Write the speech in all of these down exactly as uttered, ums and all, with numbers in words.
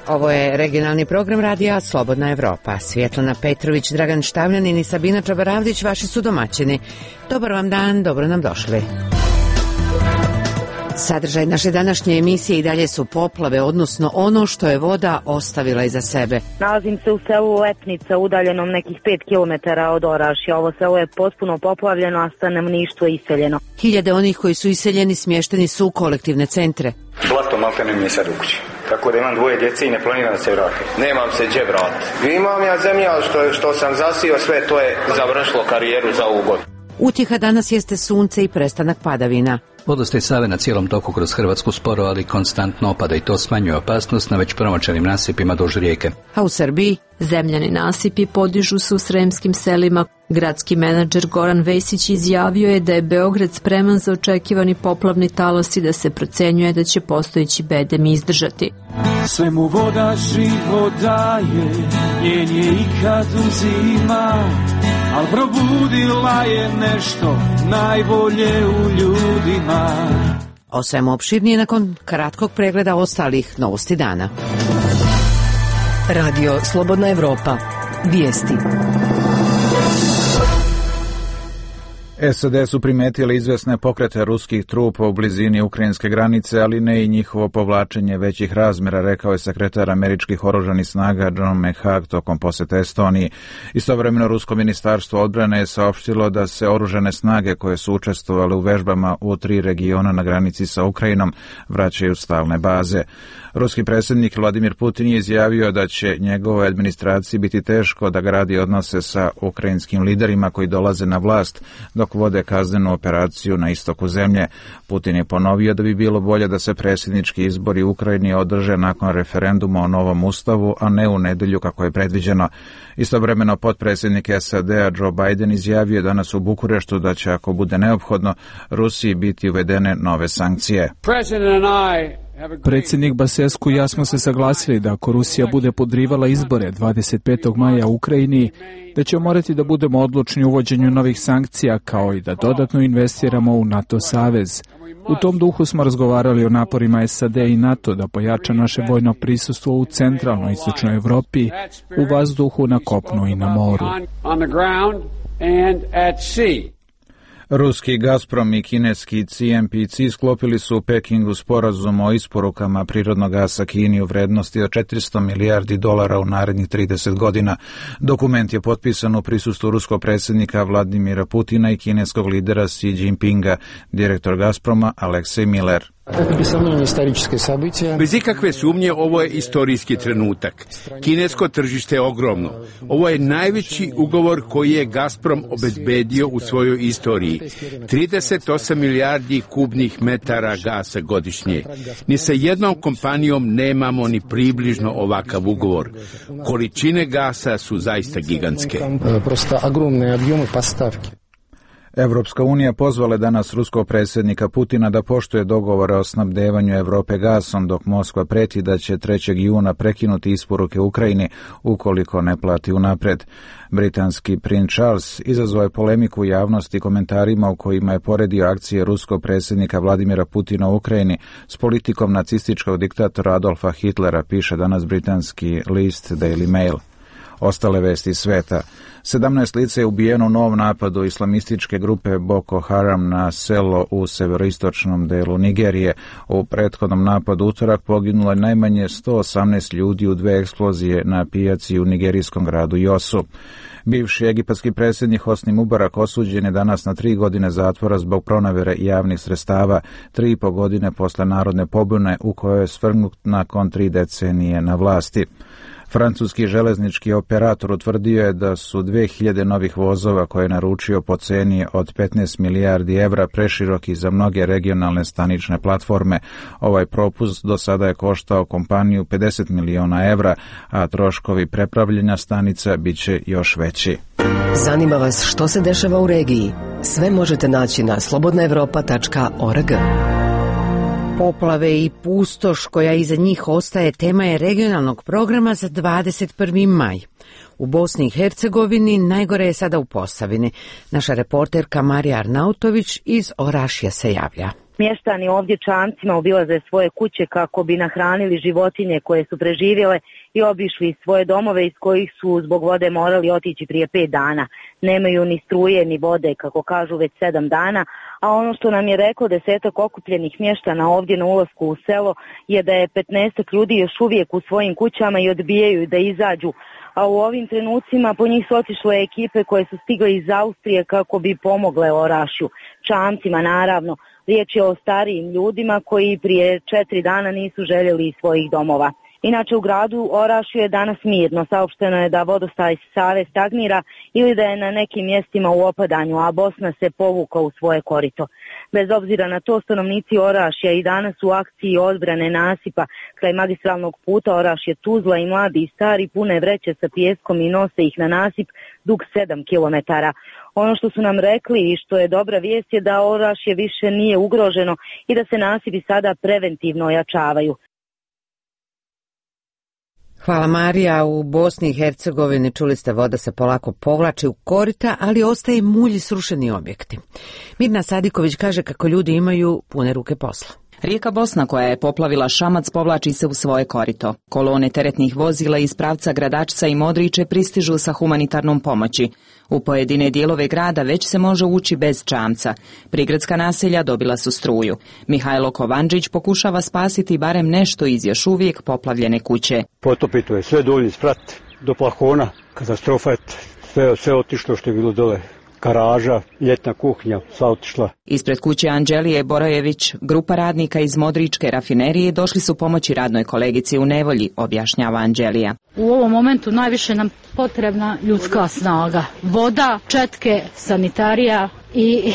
Ovo je regionalni program radija Slobodna Evropa. Svjetlana Petrović, Dragan Štavljanin i Sabina Čabaravdić vaši su domaćini. Dobar vam dan, dobro nam došli. Sadržaj naše današnje emisije i dalje su poplave, odnosno ono što je voda ostavila iza sebe. Nalazim se u selu Lepnica, udaljenom nekih pet kilometara od Orašja. Ovo selo je potpuno poplavljeno, a stanovništvo je iseljeno. Hiljade onih koji su iseljeni smješteni su u kolektivne centre. Blato maltene mi je sad u kući. Tako da imam dvoje djece i ne planiram da se vratim. Nemam se gdje vratiti. Imam ja zemlja što, što sam zasio, sve to je završilo karijeru za ovu godinu. Utjeha danas jeste sunce i prestanak padavina. Vodostaj Save na cijelom toku kroz Hrvatsku sporo, ali konstantno opada i to smanjuje opasnost na već promočenim nasipima duž rijeke. A u Srbiji? Zemljani nasipi podižu se u sremskim selima. Gradski menadžer Goran Vesić izjavio je da je Beograd spreman za očekivani poplavni talas i da se procenjuje da će postojeći bedem izdržati. Sve mu voda život daje, njen je ikad uzima, al probudila je nešto najbolje u ljudima. O svemu opširnije nakon kratkog pregleda ostalih novosti dana. Radio Slobodna Evropa. Vijesti. S A D su primetili izvesne pokrete ruskih trupa u blizini ukrajinske granice, ali ne i njihovo povlačenje većih razmjera, rekao je sekretar američkih oružanih snaga John McHugh tokom posjete Estoniji. Istovremeno rusko ministarstvo odbrane je saopštilo da se oružane snage koje su učestvovale u vežbama u tri regiona na granici sa Ukrajinom vraćaju stalne baze. Ruski predsjednik Vladimir Putin je izjavio da će njegovoj administraciji biti teško da gradi odnose sa ukrajinskim liderima koji dolaze na vlast dok vode kaznenu operaciju na istoku zemlje. Putin je ponovio da bi bilo bolje da se predsjednički izbori u Ukrajini održe nakon referenduma o novom ustavu, a ne u nedjelju kako je predviđeno. Istovremeno potpredsjednik S A D-a Joe Biden izjavio danas u Bukureštu da će, ako bude neophodno, Rusiji biti uvedene nove sankcije. Predsjednik Basescu i ja smo se saglasili da ako Rusija bude podrivala izbore dvadeset petog maja u Ukrajini, da će morati da budemo odlučni u uvođenju novih sankcija, kao i da dodatno investiramo u NATO savez. U tom duhu smo razgovarali o naporima S A D i NATO da pojača naše vojno prisustvo u centralnoj i istočnoj Evropi, u vazduhu, na kopnu i na moru. Ruski Gazprom i kineski C M P C sklopili su u Pekingu sporazum o isporukama prirodnog gasa Kini u vrednosti od četiristo milijardi dolara u narednih trideset godina. Dokument je potpisan u prisustvu ruskog predsjednika Vladimira Putina i kineskog lidera Xi Jinpinga. Direktor Gazproma Aleksej Miller. Bez ikakve sumnje ovo je istorijski trenutak. Kinesko tržište je ogromno. Ovo je najveći ugovor koji je Gazprom obezbedio u svojoj istoriji. trideset osam milijardi kubnih metara gasa godišnje. Ni sa jednom kompanijom nemamo ni približno ovakav ugovor. Količine gasa su zaista gigantske. Evropska unija pozvala danas ruskog predsjednika Putina da poštuje dogovore o snabdevanju Europe gasom, dok Moskva preti da će trećeg juna prekinuti isporuke Ukrajini ukoliko ne plati unaprijed. Britanski princ Charles izazvao je polemiku u javnosti komentarima u kojima je poredio akcije ruskog predsjednika Vladimira Putina u Ukrajini s politikom nacističkog diktatora Adolfa Hitlera, piše danas britanski list Daily Mail. Ostale vesti sveta. sedamnaest lica je ubijeno u novom napadu islamističke grupe Boko Haram na selo u severoistočnom delu Nigerije. U prethodnom napadu utorak poginulo je najmanje sto osamnaest ljudi u dve eksplozije na pijaci u nigerijskom gradu Josu. Bivši egipatski predsjednik Hosni Mubarak osuđen je danas na tri godine zatvora zbog pronevjere javnih sredstava, tri i po godine posle narodne pobune u kojoj je svrgnut nakon tri decenije na vlasti. Francuski železnički operator utvrdio je da su dve hiljade novih vozova koje je naručio po ceni od petnaest milijardi evra preširoki za mnoge regionalne stanične platforme. Ovaj propust do sada je koštao kompaniju pedeset miliona evra, a troškovi prepravljanja stanica bit će još veći. Zanima vas što se dešava u regiji? Sve možete naći na slobodna evropa tačka org. Poplave i pustoš koja iza njih ostaje tema je regionalnog programa za dvadeset prvi maj. U Bosni i Hercegovini najgore je sada u Posavini. Naša reporterka Marija Arnautović iz Orašja se javlja. Mještani ovdje čamcima obilaze svoje kuće kako bi nahranili životinje koje su preživjele i obišli svoje domove iz kojih su zbog vode morali otići prije pet dana. Nemaju ni struje ni vode, kako kažu, već sedam dana, a ono što nam je reklo desetak okupljenih mještana ovdje na ulasku u selo je da je petnaestak ljudi još uvijek u svojim kućama i odbijaju da izađu, a u ovim trenucima po njih su otišle ekipe koje su stigle iz Austrije kako bi pomogle Orašju. Čamcima, naravno. Riječ je o starijim ljudima koji prije četiri dana nisu željeli iz svojih domova. Inače, u gradu Orašju je danas mirno. Saopšteno je da vodostaj Save stagnira ili da je na nekim mjestima u opadanju, a Bosna se povukla u svoje korito. Bez obzira na to, stanovnici Orašja i danas u akciji odbrane nasipa kraj magistralnog puta Orašje-Tuzla i mladi i stari pune vreće sa pijeskom i nose ih na nasip dug sedam kilometara. Ono što su nam rekli i što je dobra vijest je da Orašje više nije ugroženo i da se nasipi sada preventivno ojačavaju. Hvala Marija. U Bosni i Hercegovini čuli ste, voda se polako povlači u korita, ali ostaje mulj i srušeni objekti. Mirna Sadiković kaže kako ljudi imaju pune ruke posla. Rijeka Bosna, koja je poplavila Šamac, povlači se u svoje korito. Kolone teretnih vozila iz pravca Gradačca i Modriče pristižu sa humanitarnom pomoći. U pojedine dijelove grada već se može ući bez čamca. Prigradska naselja dobila su struju. Mihajlo Kovanđić pokušava spasiti barem nešto iz još uvijek poplavljene kuće. Potopito je sve dolje sprat do plafona, katastrofa je, sve, sve otišlo što je bilo dole. Garaža, ljetna kuhinja, sva otišla. Ispred kuće Anđelije Borojević, grupa radnika iz Modričke rafinerije došli su pomoći radnoj kolegici u nevolji, objašnjava Anđelija. U ovom momentu najviše nam potrebna ljudska snaga. Voda, četke, sanitarija i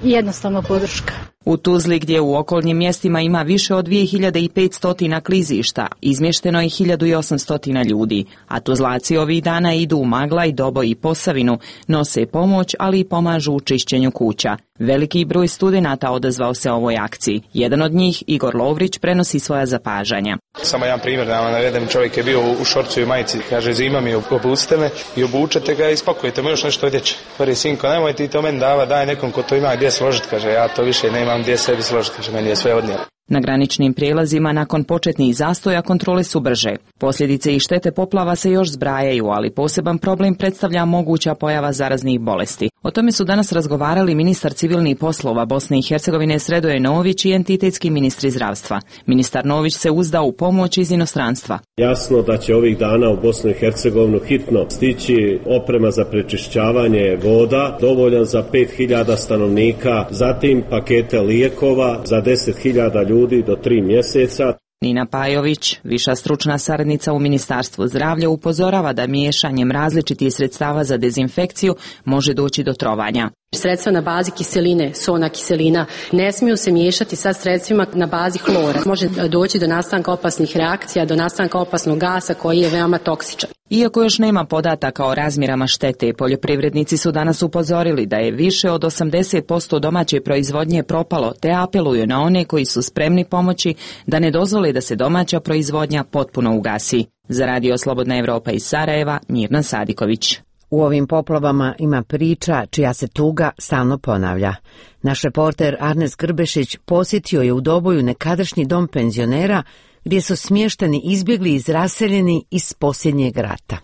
jednostavno podrška. U Tuzli, gdje u okolnim mjestima ima više od dvije hiljade petsto klizišta, izmješteno je hiljadu osamsto ljudi, a Tuzlaci ovih dana idu u Maglaj, Doboj i Posavinu, nose pomoć, ali i pomažu u čišćenju kuća. Veliki broj studenata odazvao se ovoj akciji. Jedan od njih, Igor Lovrić, prenosi svoja zapažanja. Samo jedan primjer da vam navedem, čovjek je bio u šorcu i majici, kaže zima mi, obucite me i obučete ga i spakujete mu još nešto odjeće. Prvi sinko, nemoj ti to meni dava, daj nekom ko to ima gdje složiti, kaže ja to više nemam gdje sebi složiti, kaže meni je sve odnijelo. Na graničnim prijelazima nakon početnih zastoja kontrole su brže. Posljedice i štete poplava se još zbrajaju, ali poseban problem predstavlja moguća pojava zaraznih bolesti. O tome su danas razgovarali ministar civilnih poslova Bosne i Hercegovine Sredoje Nović i entitetski ministri zdravstva. Ministar Nović se uzdao u pomoć iz inostranstva. Jasno da će ovih dana u Bosnu i Hercegovinu hitno stići oprema za prečišćavanje voda, dovoljan za pet hiljada stanovnika, zatim pakete lijekova za deset hiljada ljudi do tri mjeseca. Nina Pajović, viša stručna saradnica u Ministarstvu zdravlja, upozorava da miješanjem različitih sredstava za dezinfekciju može doći do trovanja. Sredstva na bazi kiseline, sona kiselina, ne smiju se miješati sa sredstvima na bazi hlora. Može doći do nastanka opasnih reakcija, do nastanka opasnog gasa koji je veoma toksičan. Iako još nema podataka o razmjerama štete, poljoprivrednici su danas upozorili da je više od osamdeset posto domaće proizvodnje propalo, te apeluju na one koji su spremni pomoći da ne dozvole da se domaća proizvodnja potpuno ugasi. Za Radio Slobodna Evropa iz Sarajeva, Mirna Sadiković. U ovim poplavama ima priča čija se tuga stalno ponavlja. Naš reporter Arnes Grbešić posjetio je u Doboju nekadašnji dom penzionera gdje su smješteni izbjegli iz raseljeni iz posljednjeg rata.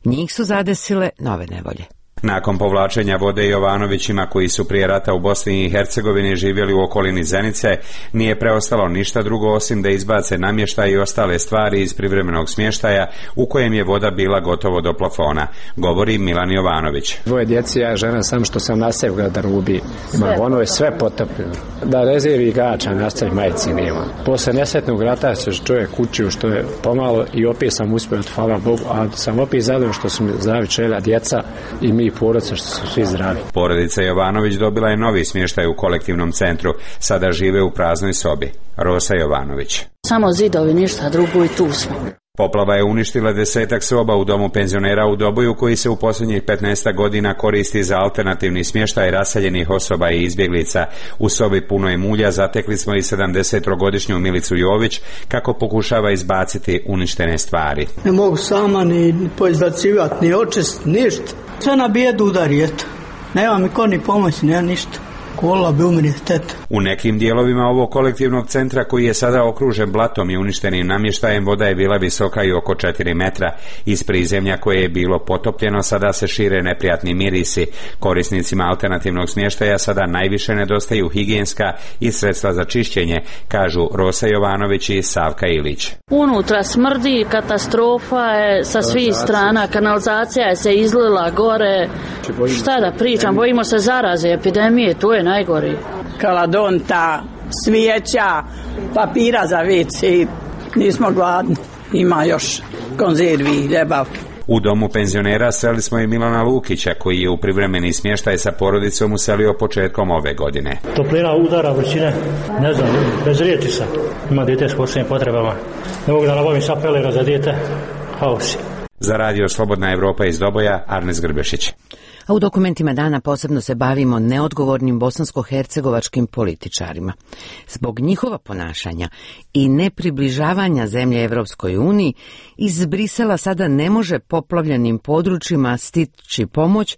Njih su zadesile nove nevolje. Nakon povlačenja vode Jovanovićima koji su prije rata u Bosni i Hercegovini živjeli u okolini Zenice, nije preostalo ništa drugo osim da izbace namještaj i ostale stvari iz privremenog smještaja u kojem je voda bila gotovo do plafona, govori Milan Jovanović. Dvoje djeci, ja žena sam što sam nastavio grada Rubi. Ima, ono je sve potopljeno. Da rezervi gača nastavi majici nema. Posle nesretnog rata se čovjek kućio što je pomalo i opet sam uspio, hvala Bogu, a sam opet zadovoljno što su mi zdravi čela djeca i mi porodica što su svi zdravi. Porodica Jovanović dobila je novi smještaj u kolektivnom centru. Sada žive u praznoj sobi. Rosa Jovanović. Samo zidovi, ništa drugo i tu smo. Poplava je uništila desetak soba u domu penzionera u Doboju koji se u posljednjih petnaest godina koristi za alternativni smještaj raseljenih osoba i izbjeglica. U sobi punoj mulja zatekli smo i sedamdesetogodišnju Milicu Jović kako pokušava izbaciti uništene stvari. Ne mogu sama ni poizbacivati, ni očist, ništa. Sve na bijedu udari, eto. Nema mi ko ni pomoći, nema ništa. škola bi univerzitet. U nekim dijelovima ovog kolektivnog centra, koji je sada okružen blatom i uništenim namještajem, voda je bila visoka i oko četiri metra. Iz prizemlja koje je bilo potopljeno sada se šire neprijatni mirisi. Korisnicima alternativnog smještaja sada najviše nedostaju higijenska i sredstva za čišćenje, kažu Rosa Jovanović i Savka Ilić. Unutra smrdi, katastrofa je sa svih strana, kanalizacija je se izlila gore. Šta da pričam, bojimo se zaraze, epidemije, tu je najgori. Kaladonta, svijeća, papira za vici, nismo gladni, ima još konzervi i ljebavke. U domu penzionera sreli smo i Milana Lukića, koji je u privremeni smještaj sa porodicom uselio početkom ove godine. Toplina udara, vrućine, ne znam, bez riječi sam. Ima dijete s posebnim potrebama. Ne mogu da nabavim sapelera za dijete, haosi. Za radio Slobodna Evropa iz Doboja, Arnes Grbešić. A u dokumentima dana posebno se bavimo neodgovornim bosansko-hercegovačkim političarima. Zbog njihova ponašanja i nepribližavanja zemlje Evropskoj uniji, iz Brisela sada ne može poplavljenim područjima stići pomoć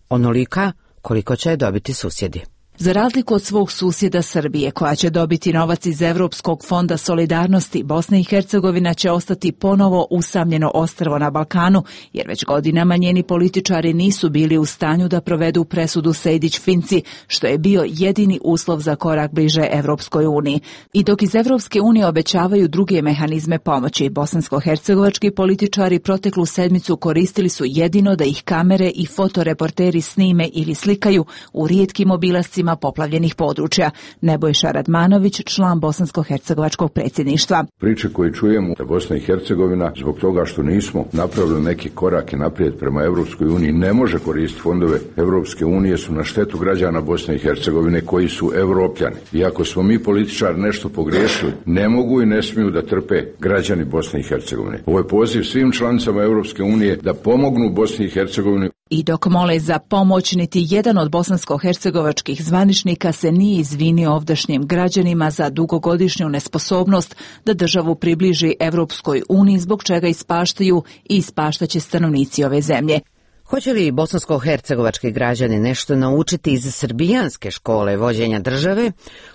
onolika koliko će je dobiti susjedi. Za razliku od svog susjeda Srbije, koja će dobiti novac iz Evropskog fonda solidarnosti, Bosna i Hercegovina će ostati ponovo usamljeno ostrvo na Balkanu, jer već godinama njeni političari nisu bili u stanju da provedu presudu Sejdić-Finci, što je bio jedini uslov za korak bliže Evropskoj uniji. I dok iz Evropske unije obećavaju druge mehanizme pomoći, bosansko-hercegovački političari proteklu sedmicu koristili su jedino da ih kamere i fotoreporteri snime ili slikaju u rijetkim obilascima poplavljenih područja. Nebojša Radmanović, član bosansko-hercegovačkog predsjedništva. Priče koje čujemo da Bosna i Hercegovina zbog toga što nismo napravili neki korake naprijed prema Evropskoj uniji ne može koristiti fondove Evropske unije su na štetu građana Bosne i Hercegovine koji su Evropljani. I ako smo mi političari nešto pogriješili, ne mogu i ne smiju da trpe građani Bosne i Hercegovine. Ovo je poziv svim članicama Evropske unije da pomognu Bosni i Hercegovini. I dok mole za pomoć, niti jedan od bosansko-hercegovačkih zvaničnika se nije izvinio ovdašnjim građanima za dugogodišnju nesposobnost da državu približi Evropskoj uniji, zbog čega ispaštaju i ispaštaće stanovnici ove zemlje. Hoće li bosansko-hercegovački građani nešto naučiti iz srbijanske škole vođenja države?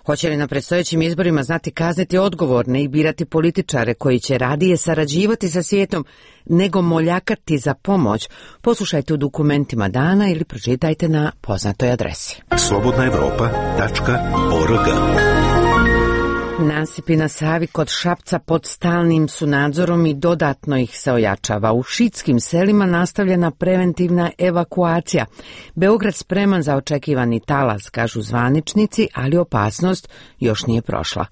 Hoće li na predstojećim izborima znati kazniti odgovorne i birati političare koji će radije sarađivati sa svijetom nego moljakati za pomoć? Poslušajte u dokumentima dana ili pročitajte na poznatoj adresi. slobodna evropa tačka org. Nasipi na Savi kod Šapca pod stalnim su nadzorom i dodatno ih se ojačava. U šiitskim selima nastavljena preventivna evakuacija. Beograd spreman za očekivani talas, kažu zvaničnici, ali opasnost još nije prošla.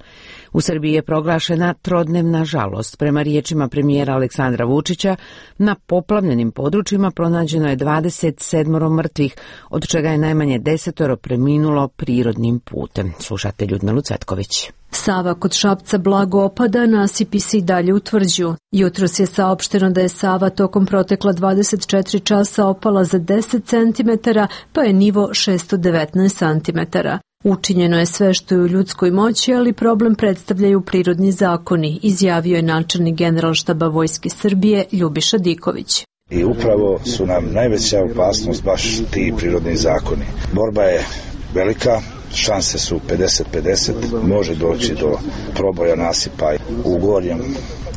U Srbiji je proglašena trodnevna žalost. Prema riječima premijera Aleksandra Vučića, na poplavljenim područjima pronađeno je dvadeset sedam mrtvih, od čega je najmanje desetoro preminulo prirodnim putem. Slušate Ljudmilu Cvetković. Sava kod Šapca blago opada, nasipi se i dalje utvrđuju. Jutros je saopšteno da je Sava tokom protekla dvadeset četiri časa opala za deset centimetara, pa je nivo šessto devetnaest centimetara. Učinjeno je sve što je u ljudskoj moći, ali problem predstavljaju prirodni zakoni, izjavio je načelnik Generalštaba Vojske Srbije Ljubiša Diković. I upravo su nam najveća opasnost baš ti prirodni zakoni. Borba je velika, šanse su pedeset pedeset, može doći do proboja nasipa u gornjem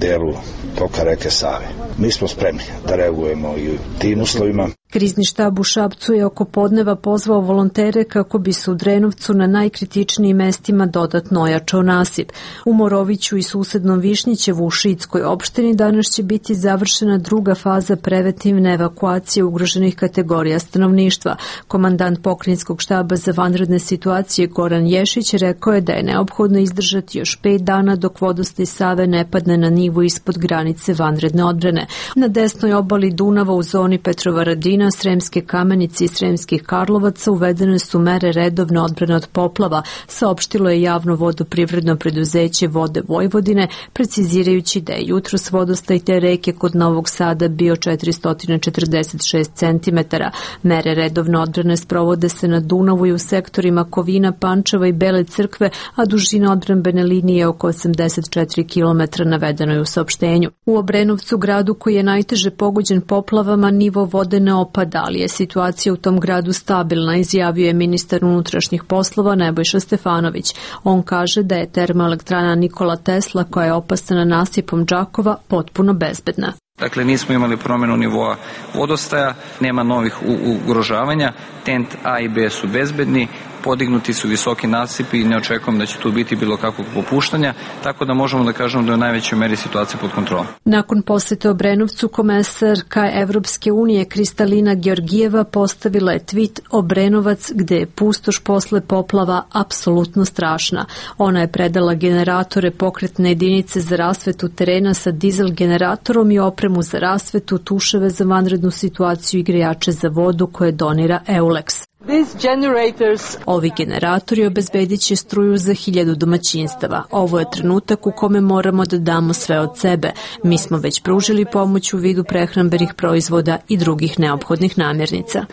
delu toka reke Save. Mi smo spremni da reagujemo i u tim uslovima. Krizni štab u Šapcu je oko podneva pozvao volontere kako bi se u Drenovcu na najkritičnijim mestima dodatno ojačao nasip. U Moroviću i susednom Višnjićevu u Šiitskoj opštini danas će biti završena druga faza preventivne evakuacije ugroženih kategorija stanovništva. Komandant pokrajinskog štaba za vanredne situacije Goran Ješić rekao je da je neophodno izdržati još pet dana dok vodostaj Save ne padne na nivo ispod granice vanredne odbrane. Na desnoj obali Dunava u zoni Petrovaradina, Sremske Kamenice i Sremskih Karlovaca uvedene su mere redovne odbrane od poplava, saopštilo je javno vodoprivredno preduzeće Vode Vojvodine, precizirajući da je jutros vodostaj te reke kod Novog Sada bio četiristo četrdeset šest centimetara. Mere redovne odbrane sprovode se na Dunavu i u sektorima Kovina, Pančeva i Bele Crkve, a dužina odbrambene linije je oko osamdeset četiri kilometra, navedeno je u saopštenju. U Obrenovcu, gradu koji je najteže pogođen poplavama, nivo vode ne opada, ali je situacija u tom gradu stabilna, izjavio je ministar unutrašnjih poslova Nebojša Stefanović. On kaže da je termoelektrana Nikola Tesla, koja je opasana nasipom Đakova, potpuno bezbedna. Dakle, nismo imali promjenu nivoa vodostaja, nema novih ugrožavanja, tent A i B su bezbedni, podignuti su visoki nasipi i ne očekujem da će tu biti bilo kakvog popuštanja, tako da možemo da kažemo da je u najvećoj meri situacija pod kontrolom. Nakon posete Obrenovcu, komesarka Evropske unije Kristalina Georgijeva postavila je tweet Obrenovac, gde je pustoš posle poplava apsolutno strašna. Ona je predala generatore, pokretne jedinice za rasvetu terena sa dizel generatorom i opremu za rasvetu, tuševe za vanrednu situaciju i grejače za vodu koje donira Eulex. Ovi generatori obezbedit će struju za hiljadu domaćinstava. Ovo je trenutak u kome moramo da damo sve od sebe. Mi smo već pružili pomoć u vidu prehrambenih proizvoda i drugih neophodnih namirnica.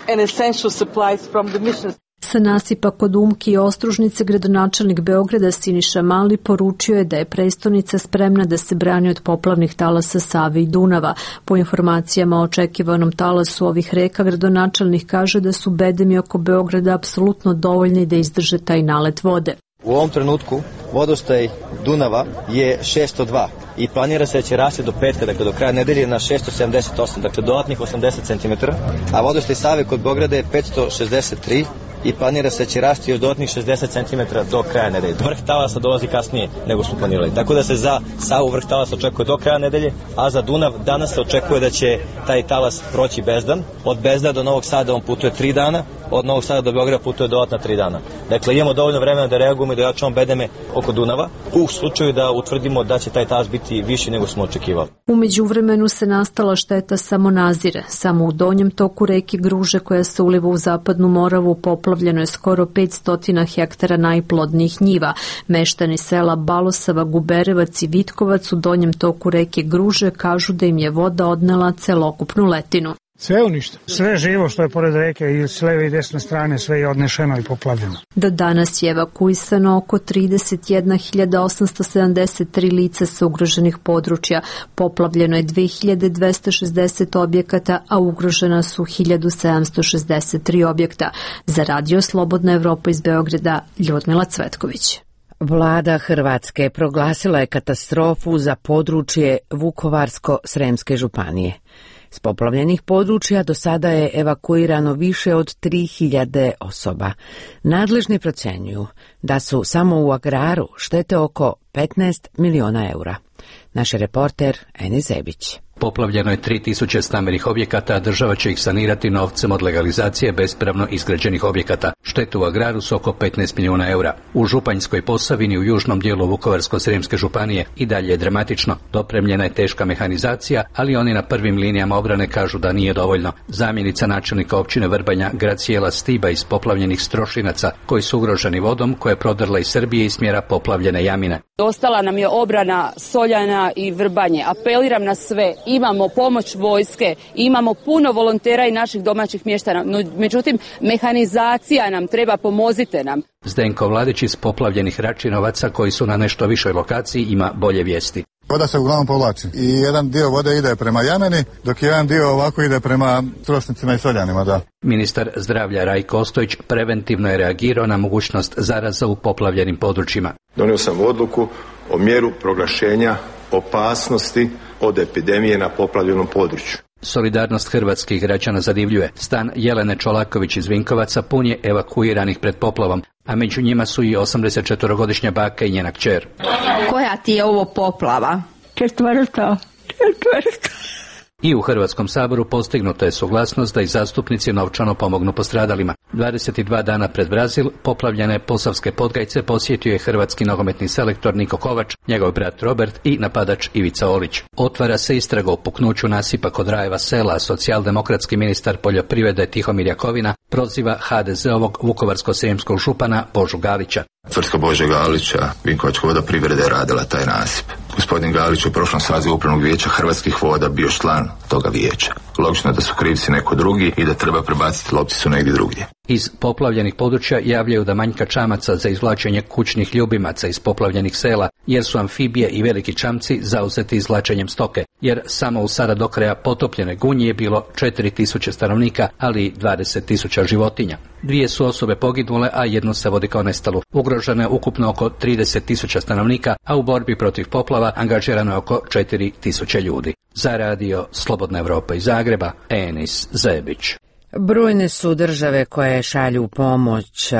Sa nasipa kod Umki i Ostružnice gradonačelnik Beograda Siniša Mali poručio je da je prestonica spremna da se brani od poplavnih talasa Save i Dunava. Po informacijama o očekivanom talasu ovih reka, gradonačelnik kaže da su bedemi oko Beograda apsolutno dovoljni da izdrže taj nalet vode. U ovom trenutku vodostaj Dunava je šesto dva i planira se da će rasti do petka, dakle do kraja nedelje na šesto sedamdeset osam, dakle dodatnih osamdeset centimetara, a vodostaj Save kod Beograda je petsto šezdeset tri i planira se da će rasti još dodatnih šezdeset centimetara do kraja nedelje. Vrh talasa dolazi kasnije nego smo planirali. Tako da se za Savu vrh talasa očekuje do kraja nedelje, a za Dunav danas se očekuje da će taj talas proći bezdan. Od Bezda do Novog Sada on putuje tri dana, od Novog Sada do Beograda putuje dodatna tri dana. Dakle, imamo dovoljno vremena da reagujemo i da jačamo bedeme oko Dunava u slučaju da utvrdimo da će taj talas biti viši nego smo očekivali. U međuvremenu se nastala šteta samo nazire. Samo u donjem toku reke Gruže, koja se uliva u zapadnu Moravu, poplavljeno je skoro petsto hektara najplodnijih njiva. Meštani sela Balosava, Guberevac i Vitkovac u donjem toku reke Gruže kažu da im je voda odnela celokupnu letinu. Sve uništeno. Sve živo što je pored reke i s leve i desne strane, sve je odnešeno i poplavljeno. Do danas je evakuisano oko trideset jedna hiljada osamsto sedamdeset tri lica sa ugroženih područja. Poplavljeno je dve hiljade dvesta šezdeset objekata, a ugrožena su hiljadu sedamsto šezdeset tri objekta. Za Radio Slobodna Evropa iz Beograda, Ljudmila Cvetković. Vlada Hrvatske proglasila je katastrofu za područje Vukovarsko-Sremske županije. S poplavljenih područja do sada je evakuirano više od tri hiljade osoba. Nadležni procenjuju da su samo u agraru štete oko petnaest miliona eura. Naš reporter Enis Zebić. Poplavljeno je tri tisuće stambenih objekata, a država će ih sanirati novcem od legalizacije bespravno izgrađenih objekata. Štete u agraru su oko petnaest miliona eura. U Županjskoj Posavini u južnom dijelu Vukovarsko-Sremske županije i dalje je dramatično. Dopremljena je teška mehanizacija, ali oni na prvim linijama obrane kažu da nije dovoljno. Zamjenica načelnika općine Vrbanja Gracijela Stiba iz poplavljenih Strošinaca, koji su ugroženi vodom, koja je prodrla iz Srbije i smjera poplavljene Jamine. Ostala nam je obrana Soljana i Vrbanje. Apeliram na sve. Imamo pomoć vojske, imamo puno volontera i naših domaćih mještana, no međutim mehanizacija nam treba, pomozite nam. Zdenko Vladić iz poplavljenih Račinovaca, koji su na nešto višoj lokaciji, ima bolje vijesti. Voda se uglavnom povlači i jedan dio vode ide prema Jameni, dok jedan dio ovako ide prema Strošnicima i Soljanima, da. Ministar zdravlja Rajko Ostojić preventivno je reagirao na mogućnost zaraza u poplavljenim područjima. Donio sam odluku o mjeru proglašenja opasnosti od epidemije na poplavljenom području. Solidarnost hrvatskih građana zadivljuje. Stan Jelene Čolaković iz Vinkovaca pun je evakuiranih pred poplavom, a među njima su i osamdesetčetvorogodišnja baka i njena kćer. Koja ti je ovo poplava? Četvrta. Četvrta. I u Hrvatskom saboru postignuta je suglasnost da i zastupnici novčano pomognu postradalima. dvadeset dva dana pred Brazil poplavljene Posavske Podgajce posjetio je hrvatski nogometni selektor Niko Kovač, njegov brat Robert i napadač Ivica Olić. Otvara se istraga o puknuću nasipa kod Rajeva sela, socijaldemokratski ministar poljoprivrede Tihomir Jakovina proziva ha de zeovog vukovarsko-srijemskog župana Božu Galića. Tvrtka Bože Galića, Vinkovačka vodoprivreda je radila taj nasip. Gospodin Galić u prošlom sazivu upravnog vijeća Hrvatskih voda bio član toga vijeća. Logično je da su krivci neko drugi i da treba prebaciti lopticu negdje drugdje. Iz poplavljenih područja javljaju da manjka čamaca za izvlačenje kućnih ljubimaca iz poplavljenih sela, jer su amfibije i veliki čamci zauzeti izvlačenjem stoke, jer samo u sada do kraja potopljene Gunji je bilo četiri tisuće stanovnika, ali i dvadeset tisuća životinja. Dvije su osobe poginule, a jednu se vodi kao nestalu. Ugroženo je ukupno oko trideset tisuća stanovnika, a u borbi protiv poplava angažirano je oko četiri tisuće ljudi. Za radio Slobodna Evropa iz Zagreba, Enis Zebić. Brojne su države koje šalju pomoć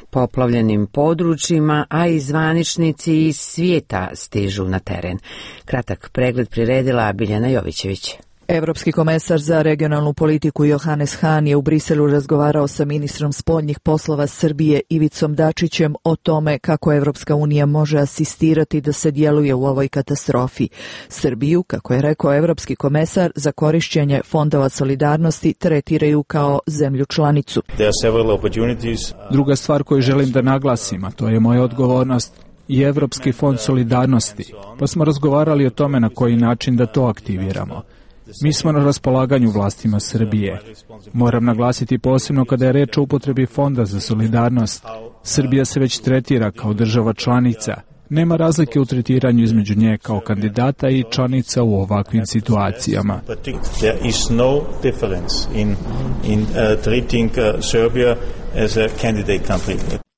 poplavljenim područjima, a i zvaničnici iz svijeta stižu na teren. Kratak pregled priredila Biljana Jovićević. Evropski komesar za regionalnu politiku Johannes Hahn je u Briselu razgovarao sa ministrom spoljnih poslova Srbije Ivicom Dačićem o tome kako Evropska unija može asistirati da se djeluje u ovoj katastrofi. Srbiju, kako je rekao evropski komesar, za korišćenje fondova solidarnosti tretiraju kao zemlju članicu. Druga stvar koju želim da naglasim, a to je moja odgovornost, i Evropski fond solidarnosti, pa smo razgovarali o tome na koji način da to aktiviramo. Mi smo na raspolaganju vlastima Srbije. Moram naglasiti posebno kada je reč o upotrebi Fonda za solidarnost. Srbija se već tretira kao država članica. Nema razlike u tretiranju između nje kao kandidata i članica u ovakvim situacijama.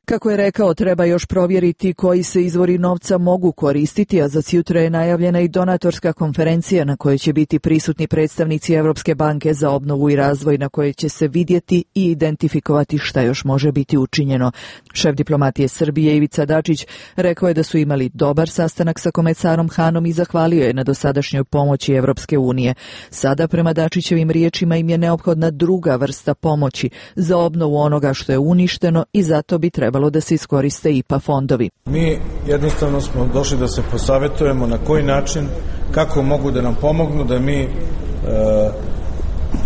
Kako je rekao, treba još provjeriti koji se izvori novca mogu koristiti, a za sutra je najavljena i donatorska konferencija na kojoj će biti prisutni predstavnici Evropske banke za obnovu i razvoj, na kojoj će se vidjeti i identifikovati šta još može biti učinjeno. Šef diplomatije Srbije Ivica Dačić rekao je da su imali dobar sastanak sa komesarom Hahnom i zahvalio je na dosadašnjoj pomoći Evropske unije. Sada, prema Dačićevim riječima, im je neophodna druga vrsta pomoći za obnovu onoga što je uništeno i zato bi trebalo da se iskoriste I P A fondovi. Mi jednostavno smo došli da se posavetujemo na koji način, kako mogu da nam pomognu, da mi e,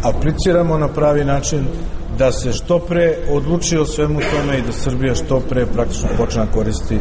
apliciramo na pravi način, da se što pre odluči o svemu tome i da Srbija što pre praktično počne koristiti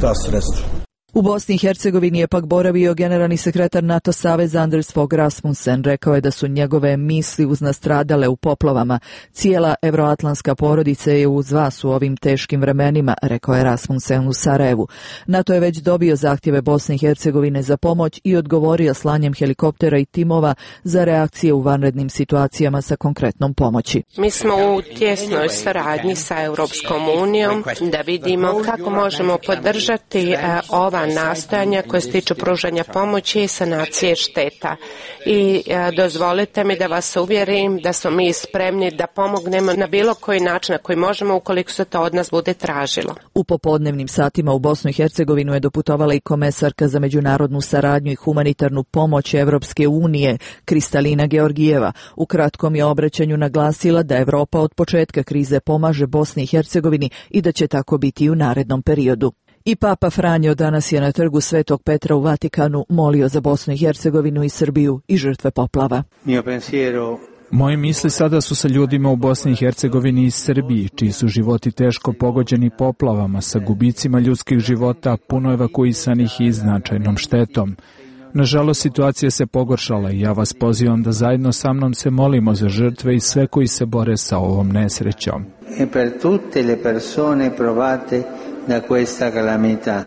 ta sredstva. U Bosni i Hercegovini je pak boravio generalni sekretar NATO saveza Anders Fogh Rasmussen. Rekao je da su njegove misli uz nastradale u poplavama. Cijela evroatlantska porodica je uz vas u ovim teškim vremenima, rekao je Rasmussen u Sarajevu. NATO je već dobio zahtjeve Bosne i Hercegovine za pomoć i odgovorio slanjem helikoptera i timova za reakcije u vanrednim situacijama sa konkretnom pomoći. Mi smo u tjesnoj saradnji sa Europskom unijom da vidimo kako možemo podržati ova nastojanja koje se tiču pružanja pomoći i sanacije šteta. I e, dozvolite mi da vas uvjerim da smo mi spremni da pomognemo na bilo koji način na koji možemo ukoliko se to od nas bude tražilo. U popodnevnim satima u Bosnu i Hercegovinu je doputovala i komesarka za međunarodnu saradnju i humanitarnu pomoć Evropske unije Kristalina Georgijeva. U kratkom je obraćanju naglasila da Evropa od početka krize pomaže Bosni i Hercegovini i da će tako biti i u narednom periodu. I Papa Franjo danas je na trgu Svetog Petra u Vatikanu molio za Bosnu i Hercegovinu i Srbiju i žrtve poplava. Moje misli sada su sa ljudima u Bosni i Hercegovini i Srbiji, čiji su životi teško pogođeni poplavama, sa gubicima ljudskih života, puno evakuisanih i značajnom štetom. Nažalost, situacija se pogoršala i ja vas pozivam da zajedno sa mnom se molimo za žrtve i sve koji se bore sa ovom nesrećom. E per tutte le persone provate da questa calamità.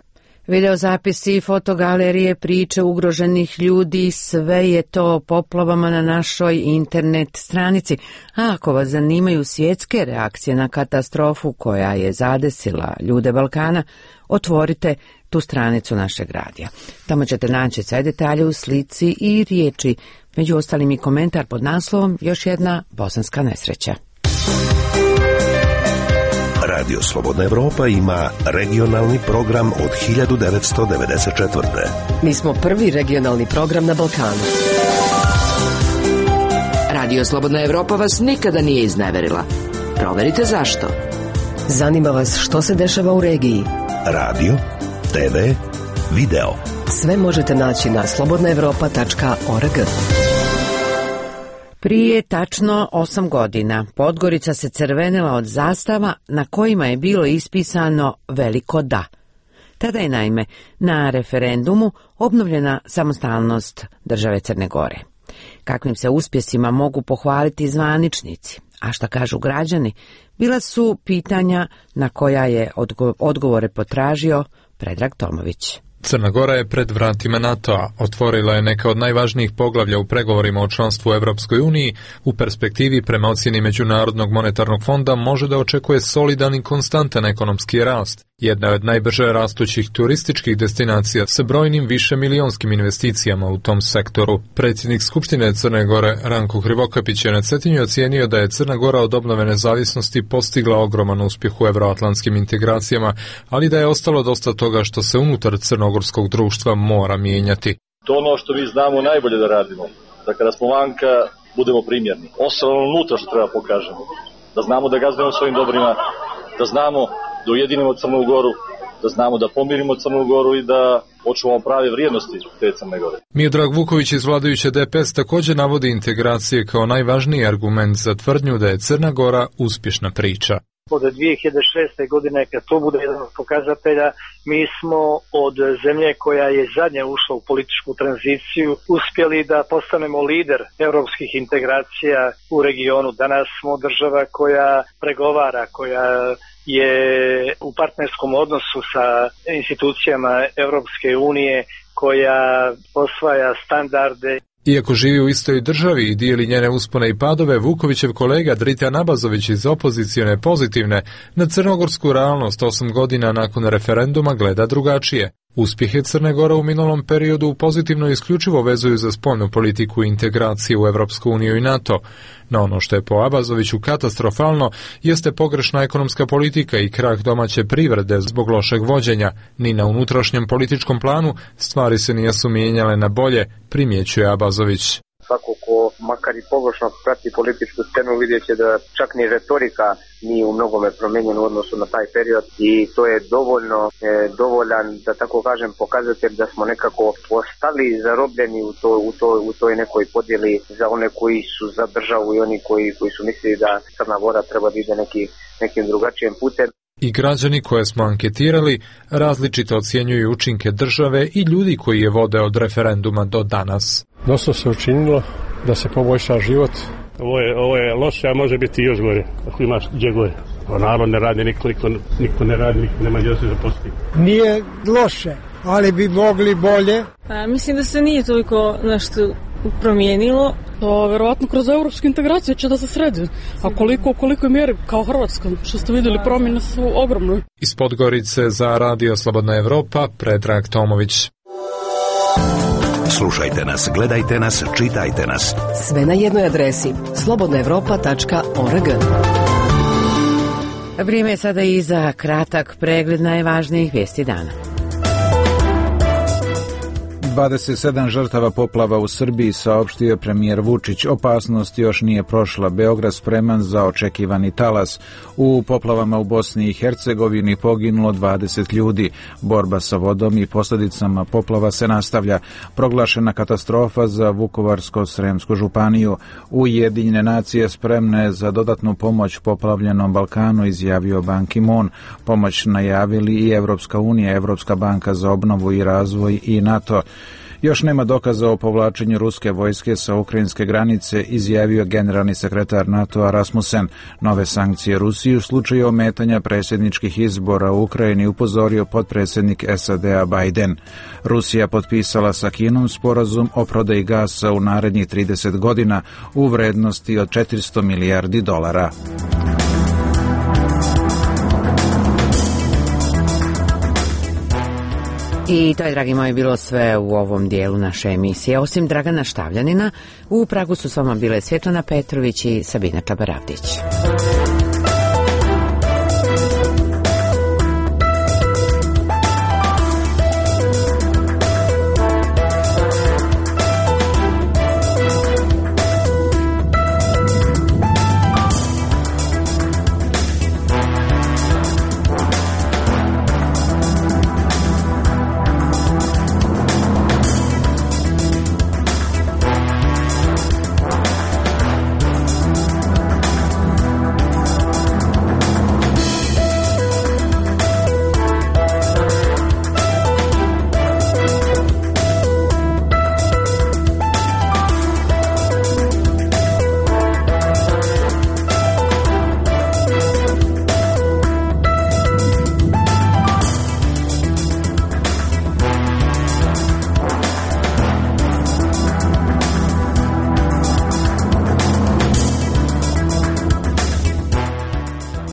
Videozapisi i fotogalerije, priče ugroženih ljudi, sve je to poplavama na našoj internet stranici. A ako vas zanimaju svjetske reakcije na katastrofu koja je zadesila ljude Balkana, otvorite tu stranicu našeg radija. Tamo ćete naći sve detalje u slici i riječi, među ostalim i komentar pod naslovom Još jedna bosanska nesreća. Radio Slobodna Evropa ima regionalni program od hiljadu devetsto devedeset četvrte. Mi smo prvi regionalni program na Balkanu. Radio Slobodna Evropa vas nikada nije izneverila. Proverite zašto. Zanima vas što se dešava u regiji. Radio, te ve, video. Sve možete naći na slobodna evropa tačka org. Prije tačno osam godina Podgorica se crvenila od zastava na kojima je bilo ispisano veliko da. Tada je naime na referendumu obnovljena samostalnost države Crne Gore. Kakvim se uspjesima mogu pohvaliti zvaničnici, a šta kažu građani, bila su pitanja na koja je odgo- odgovore potražio Predrag Tomović. Crna Gora je pred vratima NATO-a, otvorila je neka od najvažnijih poglavlja u pregovorima o članstvu u Evropskoj uniji, u perspektivi prema ocjeni Međunarodnog monetarnog fonda može da očekuje solidan i konstantan ekonomski rast. Jedna je od najbrže rastućih turističkih destinacija sa brojnim višemilijonskim investicijama u tom sektoru. Predsjednik Skupštine Crne Gore Ranko Krivokapić je na Cetinju ocijenio da je Crna Gora od obnove nezavisnosti postigla ogroman uspjeh u evroatlantskim integracijama, ali da je ostalo dosta toga što se unutar crnogorskog društva mora mijenjati. To ono što mi znamo najbolje da radimo, da kada smo vanka budemo primjerni. Ostalo unutra što treba pokažemo, da znamo da gazdujemo svojim dobrima, da znamo da ujedinimo Crnu Goru, da znamo da pomirimo Crnu Goru i da očuvamo prave vrijednosti te Crne Gore. Miodrag Vuković iz vladajuće D P S također navodi integracije kao najvažniji argument za tvrdnju da je Crna Gora uspješna priča. Od dvije hiljade šeste. godine, kad to bude jedan od pokazatelja, mi smo od zemlje koja je zadnje ušla u političku tranziciju uspjeli da postanemo lider europskih integracija u regionu. Danas smo država koja pregovara, koja je u partnerskom odnosu sa institucijama Europske unije, koja osvaja standarde. Iako živi u istoj državi i dijeli njene uspone i padove, Vukovićev kolega Dritan Abazović iz opozicione pozitivne na crnogorsku realnost osam godina nakon referenduma gleda drugačije. Uspjehe Crne Gore u minulom periodu pozitivno isključivo vezuju za spoljnu politiku i integraciju u Evropsku uniju i NATO. No ono što je po Abazoviću katastrofalno jeste pogrešna ekonomska politika i krah domaće privrede zbog lošeg vođenja. Ni na unutrašnjem političkom planu stvari se nisu mijenjale na bolje, primjećuje Abazović. Svako ko makar i površno prati političku scenu vidjet će da čak ni retorika nije u mnogome promijenjena u odnosu na taj period i to je dovoljno, e, dovoljan, da tako kažem, pokazatelj da smo nekako ostali zarobljeni u, to, u, to, u toj nekoj podjeli za one koji su za državu i oni koji, koji su mislili da Crna Gora treba da ide neki, nekim drugačijim putem. I građani koje smo anketirali različito ocjenjuju učinke države i ljudi koji je vode od referenduma do danas. Dosta se učinilo da se poboljša život. Ovo je, ovo je loše, a može biti još gore, ako imaš gdje gore. Narod ne radi, niko, niko, niko ne radi, niko nema gdje se zaposliti. Nije loše, ali bi mogli bolje. A, mislim da se nije toliko nešto promijenilo. To verovatno kroz evropsku integraciju će da se sredi. A koliko, koliko je mjeri kao Hrvatska, što ste vidjeli, promjene su ogromne. Iz Podgorice za Radio Slobodna Evropa, Predrag Tomović. Slušajte nas, gledajte nas, čitajte nas. Sve na jednoj adresi slobodna evropa tačka org. Vrijeme je sada i za kratak pregled najvažnijih vijesti dana. dvadeset sedam žrtava poplava u Srbiji, saopštio premijer Vučić. Opasnost još nije prošla. Beograd spreman za očekivani talas. U poplavama u Bosni i Hercegovini poginulo dvadeset ljudi. Borba sa vodom i posljedicama poplava se nastavlja. Proglašena katastrofa za Vukovarsko-sremsku županiju. Ujedinjene nacije spremne za dodatnu pomoć poplavljenom Balkanu, izjavio Ban Ki-moon. Pomoć najavili i Evropska unija, Evropska banka za obnovu i razvoj i NATO. Još nema dokaza o povlačenju ruske vojske sa ukrajinske granice, izjavio generalni sekretar NATO-a Rasmussen. Nove sankcije Rusiji u slučaju ometanja predsjedničkih izbora u Ukrajini upozorio potpredsjednik S A D-a Biden. Rusija potpisala sa Kinom sporazum o prodaji gasa u narednih trideset godina u vrednosti od četiristo milijardi dolara. I to je, dragi moji, bilo sve u ovom dijelu naše emisije. Osim Dragana Štavljanina, u Pragu su s vama bile Svjetlana Petrović i Sabina Čabaravdić.